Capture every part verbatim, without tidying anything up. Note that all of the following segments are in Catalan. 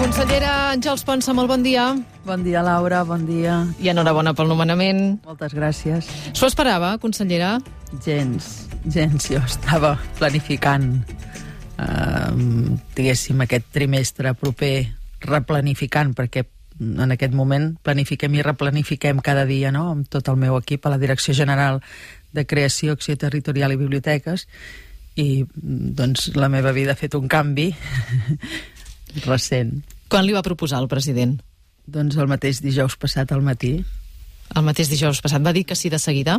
Consellera Àngels Ponsa, molt bon dia. Bon dia, Laura, bon dia. I enhorabona pel nomenament. Moltes gràcies. S'ho esperava, consellera? Gens, gens. Jo estava planificant, eh, diguéssim, aquest trimestre proper, replanificant, perquè en aquest moment planifiquem i replanifiquem cada dia, no?, amb tot el meu equip a la Direcció General de Creació, Acció Territorial i Biblioteques, i doncs la meva vida ha fet un canvi recent. Quan li va proposar el president? Doncs el mateix dijous passat al matí. El mateix dijous passat va dir que sí de seguida?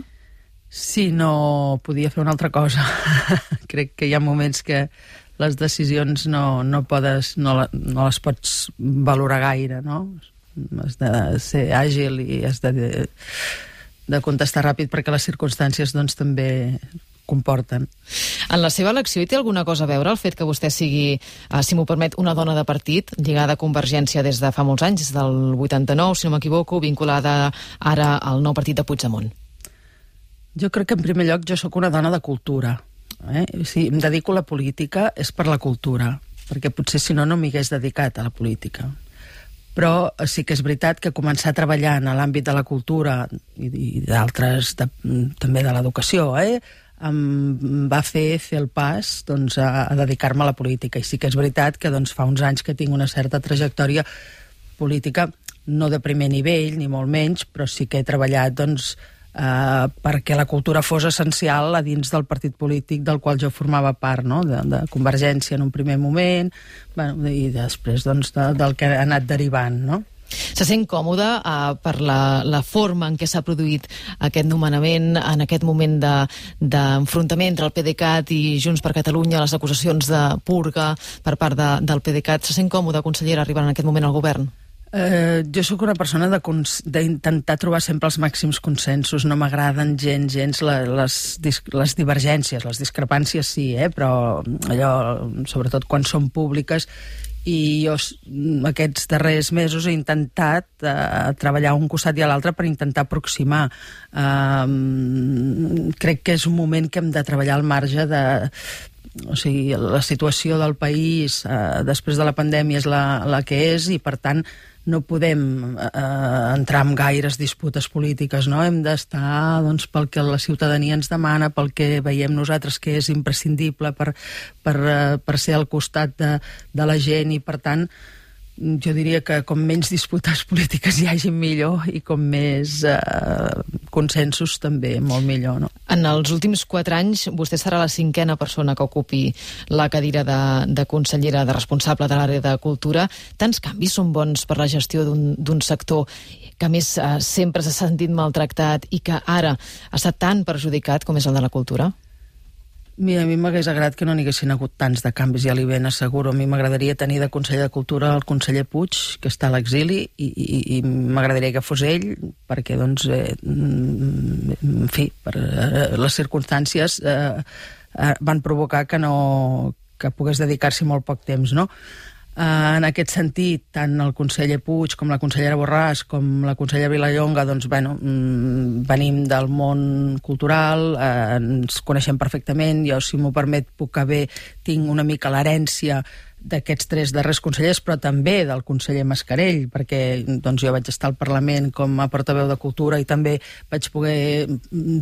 Sí, no podia fer una altra cosa. Crec que hi ha moments que les decisions no, no, podes, no, no les pots valorar gaire, no? Has de ser àgil i has de, de contestar ràpid perquè les circumstàncies doncs, també comporten. En la seva elecció hi té alguna cosa a veure el fet que vostè sigui, eh, si m'ho permet, una dona de partit, lligada a Convergència des de fa molts anys, des del vuitanta-nou, si no m'equivoco, vinculada ara al nou partit de Puigdemont? Jo crec que en primer lloc jo sóc una dona de cultura. Eh? Si em dedico a la política és per la cultura, perquè potser si no no m'hi hagués dedicat a la política. Però sí que és veritat que començar a treballar en l'àmbit de la cultura i, i d'altres, de, també de l'educació, eh? em va fer fer el pas doncs, a, a dedicar-me a la política. I sí que és veritat que doncs, fa uns anys que tinc una certa trajectòria política, no de primer nivell, ni molt menys, però sí que he treballat doncs, eh, perquè la cultura fos essencial a dins del partit polític del qual jo formava part, no? de, de Convergència en un primer moment, bueno, i després doncs, de, del que ha anat derivant, no? Se sent còmode uh, per la, la forma en què s'ha produït aquest nomenament, en aquest moment d'enfrontament de, entre el PDeCAT i Junts per Catalunya, les acusacions de purga per part de, del PDeCAT. Se sent còmode, consellera, arribar en aquest moment al govern? Eh, jo sóc una persona d'intentar trobar sempre els màxims consensos. No m'agraden gens, gens les, les divergències, les discrepàncies sí, eh? Però allò, sobretot quan són públiques, i jo aquests darrers mesos he intentat eh, treballar un costat i a l'altre per intentar aproximar. Eh, crec que és un moment que hem de treballar al marge de... O sigui, la situació del país eh, després de la pandèmia és la, la que és i, per tant, no podem eh, entrar en gaires disputes polítiques, no? Hem d'estar doncs, pel que la ciutadania ens demana, pel que veiem nosaltres que és imprescindible per, per, eh, per ser al costat de, de la gent i, per tant, jo diria que com menys disputes polítiques hi hagi millor i com més eh, consensos també molt millor, no? En els últims quatre anys vostè serà la cinquena persona que ocupi la cadira de, de consellera, de responsable de l'àrea de cultura. Tants canvis són bons per la gestió d'un sector que a més eh, sempre s'ha sentit maltractat i que ara ha estat tan perjudicat com és el de la cultura? Mira, a mi m'hagués agradat que no n'hi haguessin hagut tants de canvis, ja li ben asseguro. A mi m'agradaria tenir de conseller de Cultura el conseller Puig, que està a l'exili, i, i, i m'agradaria que fos ell, perquè, doncs, eh, en fi, per, eh, les circumstàncies eh, eh, van provocar que no que pogués dedicar-s'hi molt poc temps, no? Uh, en aquest sentit, tant el conseller Puig com la consellera Borràs com la consellera Vilallonga, doncs, bueno, mm, venim del món cultural, uh, ens coneixem perfectament. Jo, si m'ho permet, puc haver, tinc una mica l'herència d'aquests tres darrers consellers, però també del conseller Mascarell, perquè doncs, jo vaig estar al Parlament com a portaveu de Cultura i també vaig poder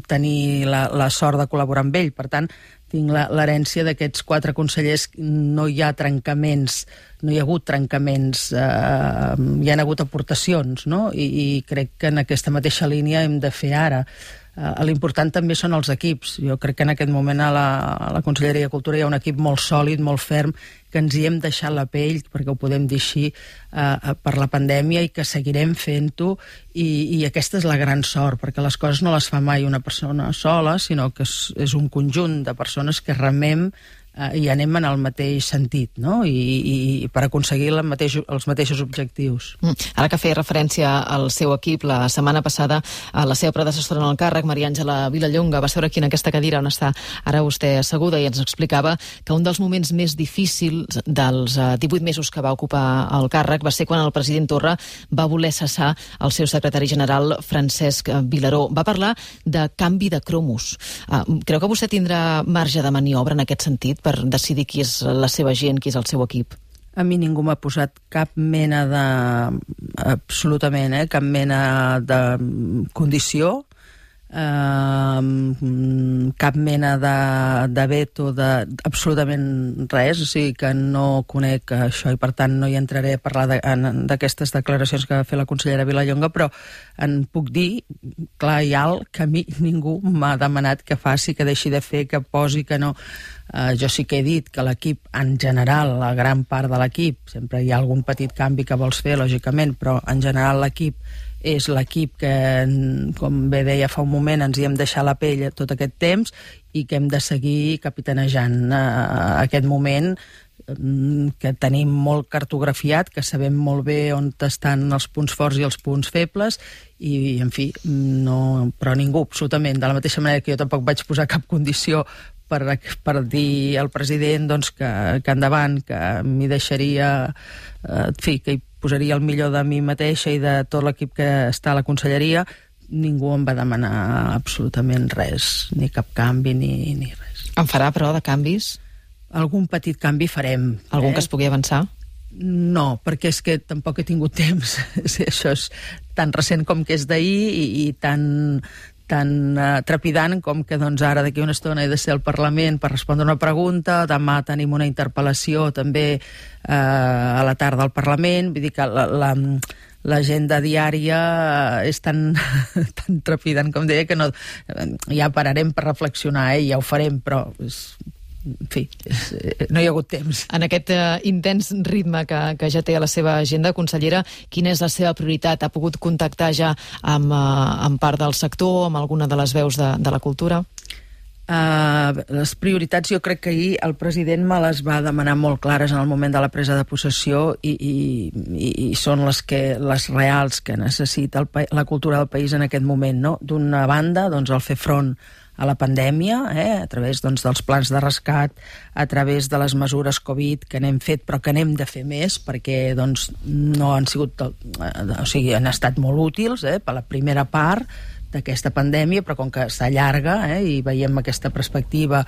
tenir la, la sort de col·laborar amb ell. Per tant, tinc l'herència d'aquests quatre consellers. No hi ha trencaments, no hi ha hagut trencaments, eh, hi ha hagut aportacions, no? I, i crec que en aquesta mateixa línia hem de fer ara. Uh, l'important també són els equips. Jo crec que en aquest moment a la, a la Conselleria de Cultura hi ha un equip molt sòlid, molt ferm, que ens hi hem deixat la pell, perquè ho podem dir així, uh, per la pandèmia, i que seguirem fent-ho, i, i aquesta és la gran sort, perquè les coses no les fa mai una persona sola, sinó que és, és un conjunt de persones que remem eh, i anem en el mateix sentit, no? I, i, i per aconseguir el mateix, els mateixos objectius. Mm. Ara que feia referència al seu equip, la setmana passada a la seva predecessora en el càrrec, Maria Àngela Vilallonga, va seure aquí en aquesta cadira on està ara vostè asseguda i ens explicava que un dels moments més difícils dels eh, divuit mesos que va ocupar el càrrec va ser quan el president Torra va voler cessar el seu secretari general Francesc Vilaró. Va parlar de canvi de cromos. Eh, creu que vostè tindrà marge de maniobra en aquest sentit per decidir qui és la seva gent, qui és el seu equip? A mi ningú m'ha posat cap mena de... absolutament, eh? Cap mena de condició, Uh, cap mena de, de veto, de, absolutament res, o sigui que no conec això i per tant no hi entraré a parlar d'aquestes de, declaracions que va fer la consellera Vilallonga, però en puc dir clar i alt que a mi ningú m'ha demanat que faci, que deixi de fer, que posi, que no. Uh, jo sí que he dit que l'equip en general, la gran part de l'equip, sempre hi ha algun petit canvi que vols fer lògicament, però en general l'equip és l'equip que, com bé deia fa un moment, ens hi hem deixat la pell tot aquest temps i que hem de seguir capitanejant uh, aquest moment, um, que tenim molt cartografiat, que sabem molt bé on estan els punts forts i els punts febles i, en fi, no, però ningú, absolutament, de la mateixa manera que jo tampoc vaig posar cap condició per, per dir al president doncs, que, que endavant, que m'hi deixaria, eh, en fi, que hi posaria el millor de mi mateixa i de tot l'equip que està a la conselleria, ningú em va demanar absolutament res, ni cap canvi ni, ni res. En farà, però, de canvis? Algun petit canvi farem. Algun eh? que es pugui avançar? No, perquè és que tampoc he tingut temps. Això és tan recent com que és d'ahir i, i tan... tan uh, trepidant com que doncs, ara d'aquí una estona he de ser al Parlament per respondre una pregunta, demà tenim una interpel·lació també uh, a la tarda al Parlament, vull dir que la, la, l'agenda diària és tan, tan trepidant com deia que no, ja pararem per reflexionar, eh, ja ho farem, però és, en fi, és, no hi ha hagut temps. En aquest uh, intens ritme que, que ja té a la seva agenda, consellera, quina és la seva prioritat? Ha pogut contactar ja amb, uh, amb part del sector, amb alguna de les veus de, de la cultura? Uh, les prioritats jo crec que ahir el president me les va demanar molt clares en el moment de la presa de possessió i, i, i són les, que, les reals que necessita el, la cultura del país en aquest moment, no? D'una banda, doncs, el fer front a la pandèmia, eh, a través doncs, dels plans de rescat, a través de les mesures Covid que n'hem fet, però que n'hem de fer més, perquè doncs, no han sigut, o sigui, han estat molt útils eh, per la primera part d'aquesta pandèmia, però com que s'allarga eh, i veiem aquesta perspectiva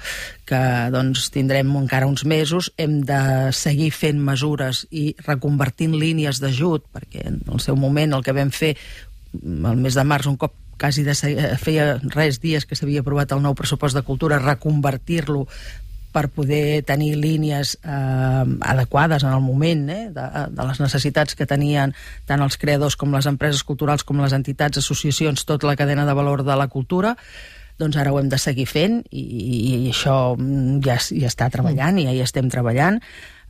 que doncs, tindrem encara uns mesos, hem de seguir fent mesures i reconvertint línies d'ajut, perquè en el seu moment el que vam fer el mes de març, un cop quasi de, feia res dies que s'havia aprovat el nou pressupost de cultura, reconvertir-lo per poder tenir línies eh, adequades en el moment eh, de, de les necessitats que tenien tant els creadors com les empreses culturals com les entitats, associacions, tota la cadena de valor de la cultura, doncs ara ho hem de seguir fent i, i això ja, ja està treballant i ja hi estem treballant.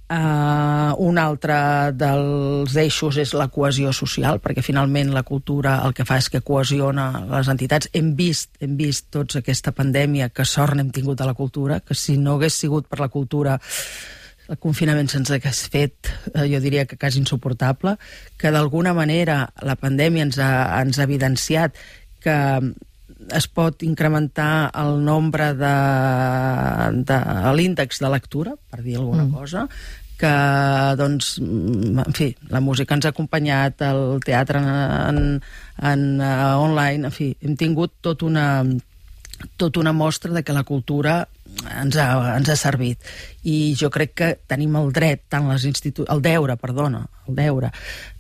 Uh, un altre dels eixos és la cohesió social, perquè finalment la cultura el que fa és que cohesiona les entitats. Hem vist, hem vist tots aquesta pandèmia, que sort n'hem tingut a la cultura, que si no hagués sigut per la cultura el confinament se'ns hagués fet, eh, jo diria que quasi insuportable, que d'alguna manera la pandèmia ens ha, ens ha evidenciat que es pot incrementar el nombre de, de l'índex de lectura, per dir alguna mm. cosa, que, doncs, en fi, la música ens ha acompanyat, el teatre en, en, en uh, online, en fi, hem tingut tot una, tot una mostra de que la cultura ens ha, ens ha servit. I jo crec que tenim el dret, tant les institu- el deure, perdona, el deure,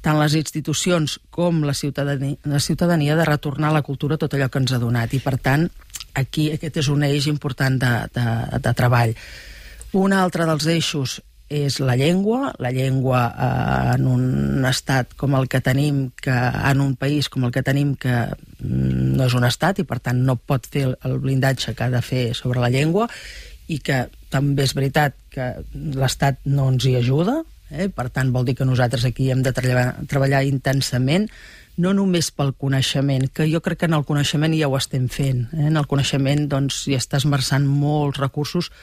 tant les institucions com la ciutadania, la ciutadania de retornar a la cultura tot allò que ens ha donat. I, per tant, aquí aquest és un eix important de, de, de treball. Un altre dels eixos és la llengua, la llengua eh, en un estat com el que tenim, que en un país com el que tenim, que no és un estat i per tant no pot fer el blindatge que ha de fer sobre la llengua, i que també és veritat que l'estat no ens hi ajuda, eh? Per tant vol dir que nosaltres aquí hem de treballar, treballar intensament, no només pel coneixement, que jo crec que en el coneixement ja ho estem fent, eh? En el coneixement doncs hi està esmerçant molts recursos,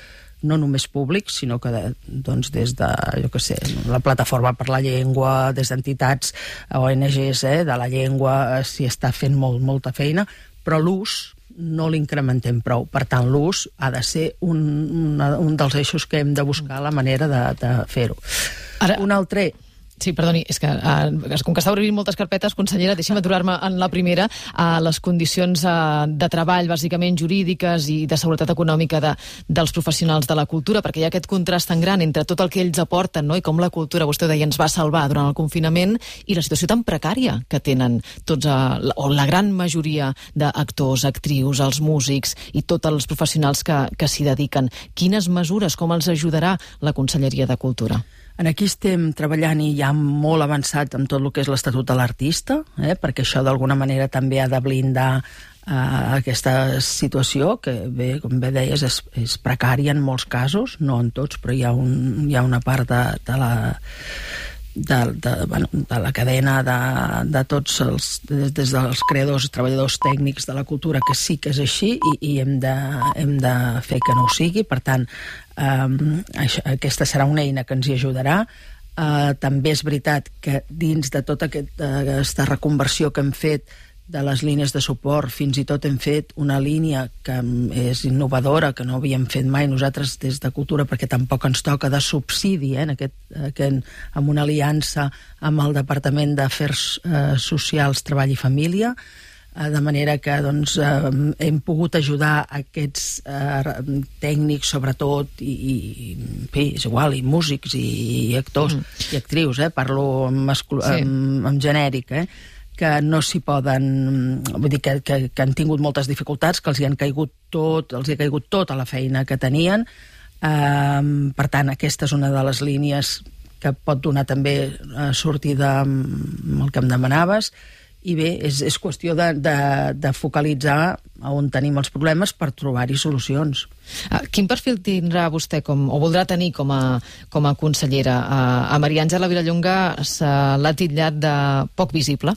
no només públics, sinó que de, doncs des de, jo què sé, la Plataforma per la Llengua, des d'entitats O N Ges eh, de la llengua, s'hi està fent molt, molta feina, però l'ús no l'incrementem prou. Per tant, l'ús ha de ser un, una, un dels eixos que hem de buscar la manera de, de fer-ho. Ara... Un altre... Sí, perdoni, és que uh, com que està obrint moltes carpetes, consellera, deixi'm aturar-me en la primera, a uh, les condicions uh, de treball, bàsicament jurídiques i de seguretat econòmica de, dels professionals de la cultura, perquè hi ha aquest contrast tan gran entre tot el que ells aporten, no?, i com la cultura, vostè deia, ens va salvar durant el confinament, i la situació tan precària que tenen tots, uh, o la gran majoria d'actors, actrius, els músics i tots els professionals que, que s'hi dediquen. Quines mesures, com els ajudarà la Conselleria de Cultura? En aquí estem treballant i ja molt avançat amb tot el que és l'Estatut de l'Artista, eh, perquè això d'alguna manera també ha de blindar eh, aquesta situació, que bé, com bé deies, és, és precària en molts casos, no en tots, però hi ha, un, hi ha una part de, de la... De, de, bueno, de la cadena de, de tots els, des, des dels creadors, treballadors tècnics de la cultura, que sí que és així i, i hem, de, hem de fer que no ho sigui. Per tant, eh, això, aquesta serà una eina que ens hi ajudarà. Eh, també és veritat que dins de tota aquest, aquesta reconversió que hem fet de les línies de suport, fins i tot hem fet una línia que és innovadora, que no havíem fet mai nosaltres des de Cultura, perquè tampoc ens toca, de subsidi, eh, en aquest, aquest, amb una aliança amb el Departament d'Afers eh, Socials, Treball i Família, eh, de manera que doncs, eh, hem pogut ajudar aquests eh, tècnics, sobretot, i, i en fi, és igual, i músics, i, i actors, mm. i actrius, eh, parlo en, mascul... sí. en, en genèric, eh, que no s'hi poden... Vull dir, que, que, que han tingut moltes dificultats, que els hi han caigut tot, els hi ha caigut tota la feina que tenien. Um, per tant, aquesta és una de les línies que pot donar també uh, sortida amb el que em demanaves. I bé, és, és qüestió de, de, de focalitzar on tenim els problemes per trobar-hi solucions. Uh, quin perfil tindrà vostè, com, o voldrà tenir com a, com a consellera? Uh, a Maria Àngela Vilallonga se l'ha titllat de poc visible.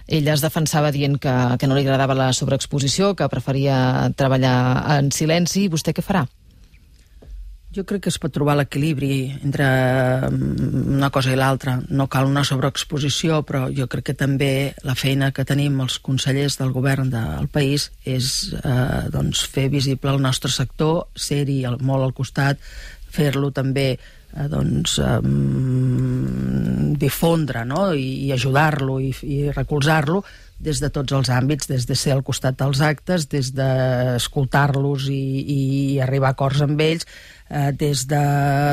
Ella es defensava dient que, que no li agradava la sobreexposició, que preferia treballar en silenci. Vostè què farà? Jo crec que es pot trobar l'equilibri entre una cosa i l'altra. No cal una sobreexposició, però jo crec que també la feina que tenim els consellers del govern del país és eh, doncs fer visible el nostre sector, ser-hi molt al costat, fer-lo també eh, doncs, eh, difondre, no?, i, i ajudar-lo i, i recolzar-lo des de tots els àmbits, des de ser al costat dels actes, des d'escoltar-los i, i arribar a acords amb ells, eh, des de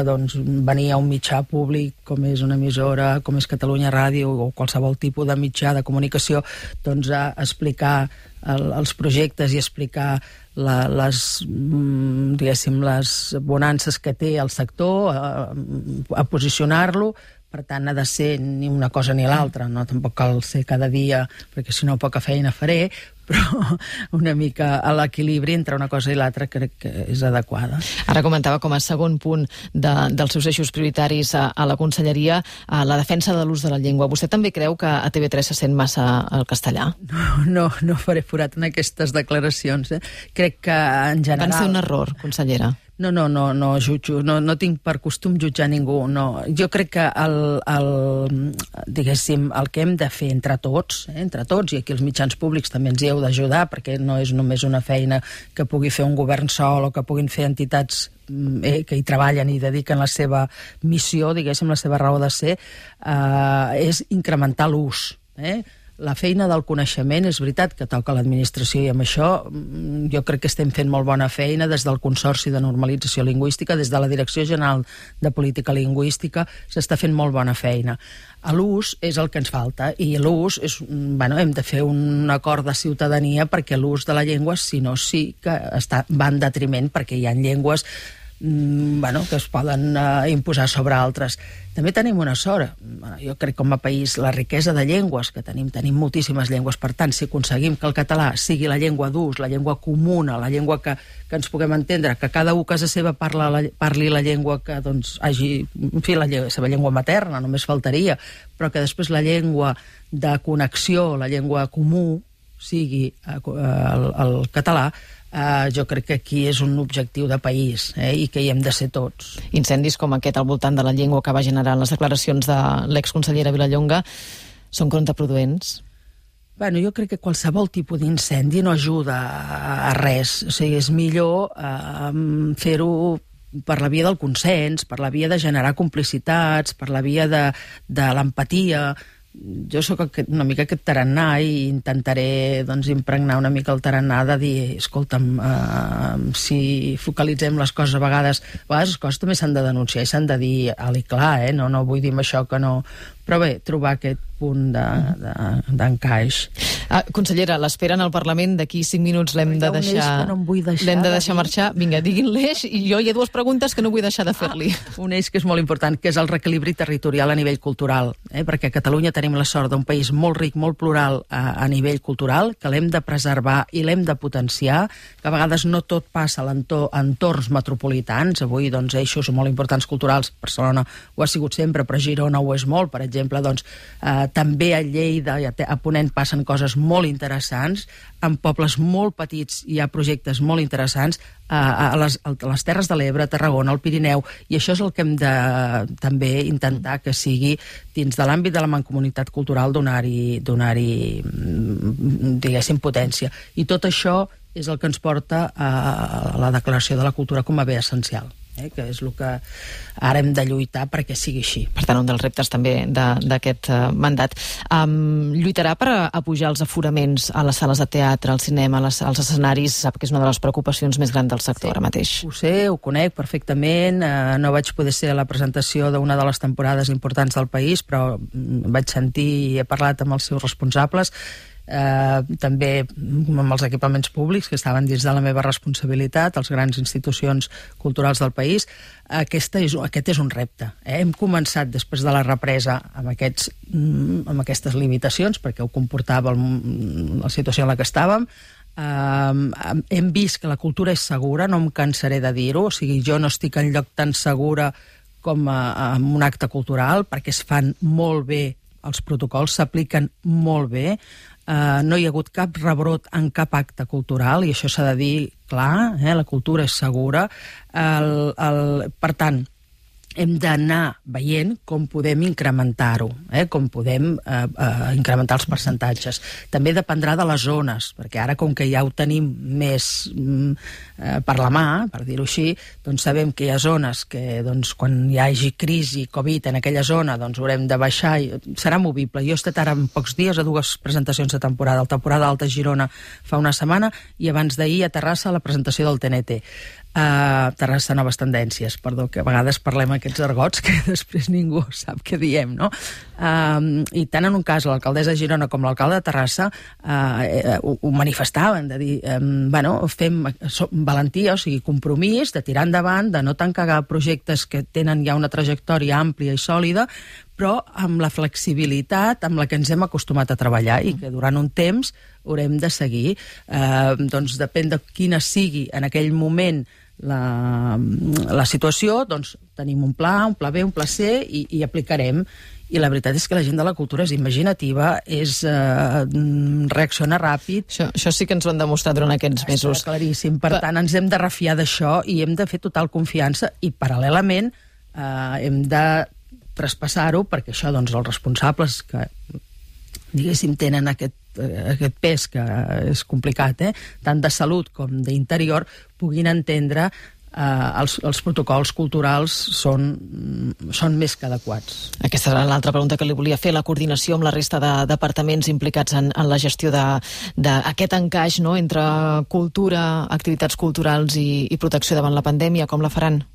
doncs, venir a un mitjà públic com és una emissora, com és Catalunya Ràdio o qualsevol tipus de mitjà de comunicació, doncs a explicar el, els projectes i explicar la, les, diguéssim, les bonances que té el sector, a, a posicionar-lo. Per tant, ha de ser ni una cosa ni l'altra, no? Tampoc cal ser cada dia, perquè si no poca feina faré, però una mica a l'equilibri entre una cosa i l'altra crec que és adequada. Ara comentava com a segon punt de, dels seus eixos prioritaris a, a la Conselleria a la defensa de l'ús de la llengua. Vostè també creu que a T V tres se sent massa el castellà? No, no, no faré forat en aquestes declaracions. Eh? Crec que en general... Van ser un error, consellera. No, no, no, no jutjo, no, no tinc per costum jutjar ningú, no. Jo crec que el, el, diguéssim, el que hem de fer entre tots, eh, entre tots, i aquí els mitjans públics també ens hi heu d'ajudar, perquè no és només una feina que pugui fer un govern sol o que puguin fer entitats eh, que hi treballen i dediquen la seva missió, diguéssim, la seva raó de ser, eh, és incrementar l'ús, eh? La feina del coneixement, és veritat que toca a l'administració i amb això jo crec que estem fent molt bona feina des del Consorci de Normalització Lingüística, des de la Direcció General de Política Lingüística, s'està fent molt bona feina. A l'ús és el que ens falta i l'ús és, bueno, hem de fer un acord de ciutadania perquè l'ús de la llengua, si no, sí que està, va en detriment, perquè hi ha llengües bueno, que es poden uh, imposar sobre altres. També tenim una sort. Jo crec que com a país la riquesa de llengües que tenim, tenim moltíssimes llengües, per tant, si aconseguim que el català sigui la llengua d'ús, la llengua comuna, la llengua que, que ens puguem entendre, que cada u a casa seva parla la, parli la llengua que doncs, hagi, en fi, la, la seva llengua materna, només faltaria, però que després la llengua de connexió, la llengua comú, sigui uh, el, el català, Uh, jo crec que aquí és un objectiu de país, eh, i que hi hem de ser tots. Incendis com aquest al voltant de la llengua que va generar les declaracions de l'exconsellera Vilallonga són contraproduents? Bueno, jo crec que qualsevol tipus d'incendi no ajuda a, a res. O sigui, és millor uh, fer-ho per la via del consens, per la via de generar complicitats, per la via de, de l'empatia. Jo sóc una mica aquest tarannà i intentaré doncs, impregnar una mica el tarannà de dir, escolta'm, uh, si focalitzem les coses a vegades, a vegades les coses també s'han de denunciar i s'han de dir alt i clar, eh? no, no vull dir amb això que no... Però bé, trobar aquest punt d'encaix. De, de, ah, consellera, l'esperen al Parlament, d'aquí cinc minuts l'hem de deixar, no deixar l'hem de deixar de marxar. Vinga, diguin l'eix, i jo hi ha dues preguntes que no vull deixar de fer-li. Ah, un eix que és molt important, que és el reequilibri territorial a nivell cultural, eh? perquè a Catalunya tenim la sort d'un país molt ric, molt plural a, a nivell cultural, que l'hem de preservar i l'hem de potenciar, que a vegades no tot passa a entorns metropolitans. Avui, doncs, eixos molt importants culturals, Barcelona ho ha sigut sempre, però Girona ho és molt, per exemple. exemple, doncs, eh, també a Lleida i a Ponent passen coses molt interessants, en pobles molt petits hi ha projectes molt interessants, eh, a, les, a les Terres de l'Ebre, Tarragona, el Pirineu, i això és el que hem de també intentar que sigui dins de l'àmbit de la mancomunitat cultural donar-hi, donar-hi, diguéssim, potència. I tot això és el que ens porta a la declaració de la cultura com a bé essencial. Eh, que és el que ara hem de lluitar perquè sigui així. Per tant, un dels reptes també d'aquest uh, mandat. Um, lluitarà per a, a pujar els aforaments a les sales de teatre, al cinema, les, als escenaris? Sap que és una de les preocupacions més grans del sector, sí, ara mateix. Ho sé, ho conec perfectament. Uh, no vaig poder ser a la presentació d'una de les temporades importants del país, però vaig sentir i he parlat amb els seus responsables. Uh, també amb els equipaments públics que estaven dins de la meva responsabilitat, les grans institucions culturals del país. Aquesta és, aquest és un repte. Eh? Hem començat després de la represa amb, aquests, amb aquestes limitacions, perquè ho comportava el, la situació en la que estàvem. Uh, hem vist que la cultura és segura, no em cansaré de dir-ho, o sigui, jo no estic en lloc tan segura com a, en un acte cultural, perquè es fan molt bé els protocols, s'apliquen molt bé. Uh, no hi ha hagut cap rebrot en cap acte cultural, i això s'ha de dir clar, eh? La cultura és segura. El, el, per tant, hem d'anar veient com podem incrementar-ho, eh? com podem eh, eh, incrementar els percentatges. També dependrà de les zones, perquè ara, com que ja ho tenim més mm, eh, per la mà, per dir-ho així, doncs sabem que hi ha zones que doncs, quan hi hagi crisi, Covid en aquella zona, doncs haurem de baixar, i serà movible. Jo he estat ara en pocs dies a dues presentacions de temporada, el temporada Alta Girona fa una setmana, i abans d'ahir a Terrassa la presentació del T N T. Uh, Terrassa Noves Tendències, perdó, que a vegades parlem aquests argots que després ningú sap què diem, no? Uh, I tant en un cas l'alcaldessa de Girona com l'alcalde de Terrassa uh, uh, ho, ho manifestaven, de dir, um, bueno, fem so, valentia, o sigui, compromís de tirar endavant, de no tancar projectes que tenen ja una trajectòria àmplia i sòlida, però amb la flexibilitat amb la que ens hem acostumat a treballar i que durant un temps haurem de seguir. Eh, doncs depèn de quina sigui en aquell moment la, la situació, doncs tenim un pla, un pla B, un pla C i, i aplicarem. I la veritat és que la gent de la cultura és imaginativa, és eh, reacciona ràpid. Això, això sí que ens ho han demostrat durant aquests mesos. Està claríssim. Per tant, ens hem de refiar d'això i hem de fer total confiança i, paral·lelament, eh, hem de traspassar-ho, perquè això, doncs, els responsables que, diguéssim, tenen aquest, eh, aquest pes, que és complicat, eh? tant de salut com d'interior, puguin entendre eh, els, els protocols culturals són, són més que adequats. Aquesta era l'altra pregunta que li volia fer, la coordinació amb la resta de departaments implicats en, en la gestió d'aquest encaix, no?, entre cultura, activitats culturals i, i protecció davant la pandèmia. Com la faran?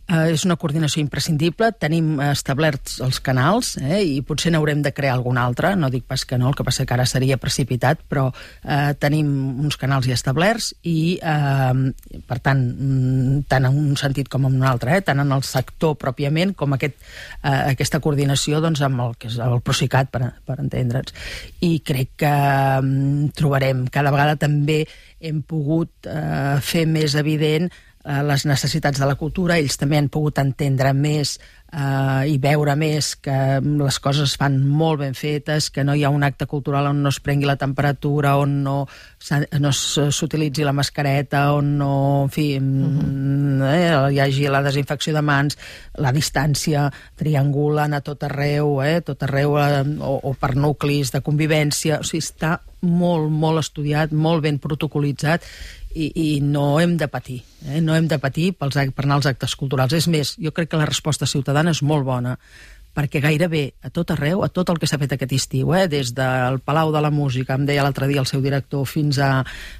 Uh, és una coordinació imprescindible. Tenim establerts els canals, eh, i potser n'haurem de crear algun altre, no dic pas que no, el que passa que ara seria precipitat, però uh, tenim uns canals ja establerts i, uh, per tant, tant en un sentit com en un altre, eh, tant en el sector pròpiament com aquest, uh, aquesta coordinació, doncs, amb el que és el Procicat, per, per entendre'ns. I crec que um, trobarem, cada vegada també hem pogut uh, fer més evident les necessitats de la cultura, ells també han pogut entendre més Uh, i veure més que les coses es fan molt ben fetes, que no hi ha un acte cultural on no es prengui la temperatura, on no, no s'utilitzi la mascareta, on no, en fi, uh-huh. eh, hi hagi la desinfecció de mans, la distància, triangulen a tot arreu, eh, tot arreu eh, o, o per nuclis de convivència, o sigui, està molt, molt estudiat, molt ben protocolitzat, i, i no hem de patir, eh? no hem de patir pels, per anar als actes culturals. És més, jo crec que la resposta ciutadana és molt bona, perquè gairebé a tot arreu, a tot el que s'ha fet aquest estiu, eh? des del Palau de la Música, em deia l'altre dia el seu director, fins a,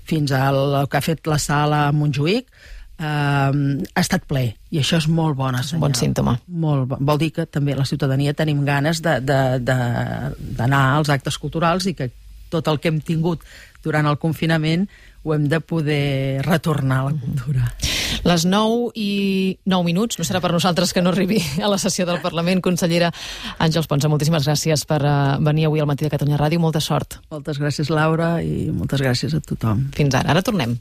fins al que ha fet la sala a Montjuïc, eh, ha estat ple, i això és molt bona senyal. Bon símptoma. Molt bo. Vol dir que també la ciutadania tenim ganes d'anar als actes culturals i que tot el que hem tingut durant el confinament ho hem de poder retornar a la cultura. Les nou i nou minuts, no serà per nosaltres que no arribi a la sessió del Parlament. Consellera Àngels Ponsa, moltíssimes gràcies per venir avui al Matí de Catalunya Ràdio. Molta sort. Moltes gràcies, Laura, i moltes gràcies a tothom. Fins ara. Ara tornem.